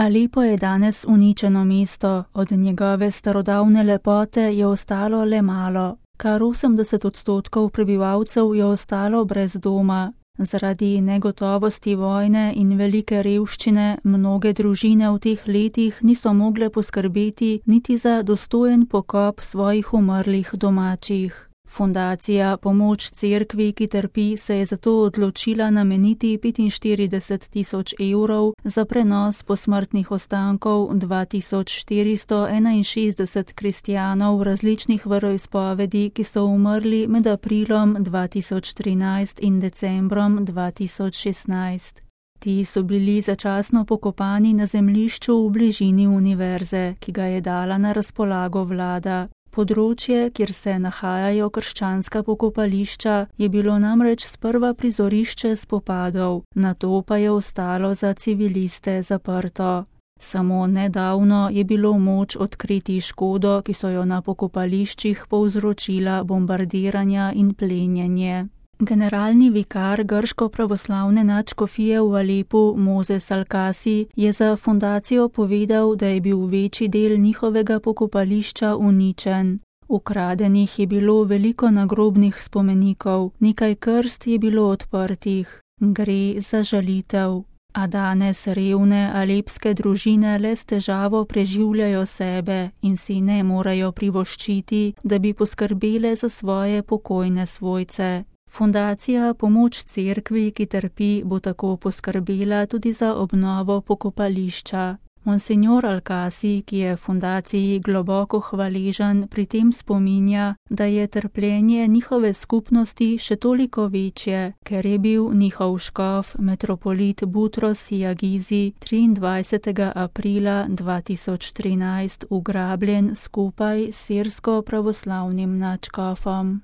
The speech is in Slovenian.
Alepo je danes uničeno mesto, od njegove starodavne lepote je ostalo le malo. Kar 80% prebivalcev je ostalo brez doma. Zaradi negotovosti vojne in velike revščine mnoge družine v teh letih niso mogle poskrbeti niti za dostojen pokop svojih umrlih domačih. Fundacija Pomoč cerkvi, ki trpi, se je zato odločila nameniti 45 000 evrov za prenos posmrtnih ostankov 2461 kristjanov različnih veroizpovedi, ki so umrli med aprilom 2013 in decembrom 2016. Ti so bili začasno pokopani na zemljišču v bližini univerze, ki ga je dala na razpolago vlada. Področje, kjer se nahajajo krščanska pokopališča, je bilo namreč sprva prizorišče spopadov, nato pa je ostalo za civiliste zaprto. Samo nedavno je bilo moč odkriti škodo, ki so jo na pokopališčih povzročila bombardiranja in plenjenje. Generalni vikar grško-pravoslavne nadškofije v Alepu Mozes Alkasi je za fundacijo povedal, da je bil večji del njihovega pokopališča uničen. Ukradenih je bilo veliko nagrobnih spomenikov, nekaj krst je bilo odprtih. Gre za žalitev. A danes revne alepske družine le s težavo preživljajo sebe in si ne morejo privoščiti, da bi poskrbele za svoje pokojne svojce. Fundacija Pomoč cerkvi, ki trpi, bo tako poskrbela tudi za obnovo pokopališča. Monsignor Alkasi, ki je fundaciji globoko hvaležen, pri tem spominja, da je trpljenje njihove skupnosti še toliko večje, ker je bil njihov škof, metropolit Butros Jagizi, 23. aprila 2013 ugrabljen skupaj s sirsko pravoslavnim nadškofom.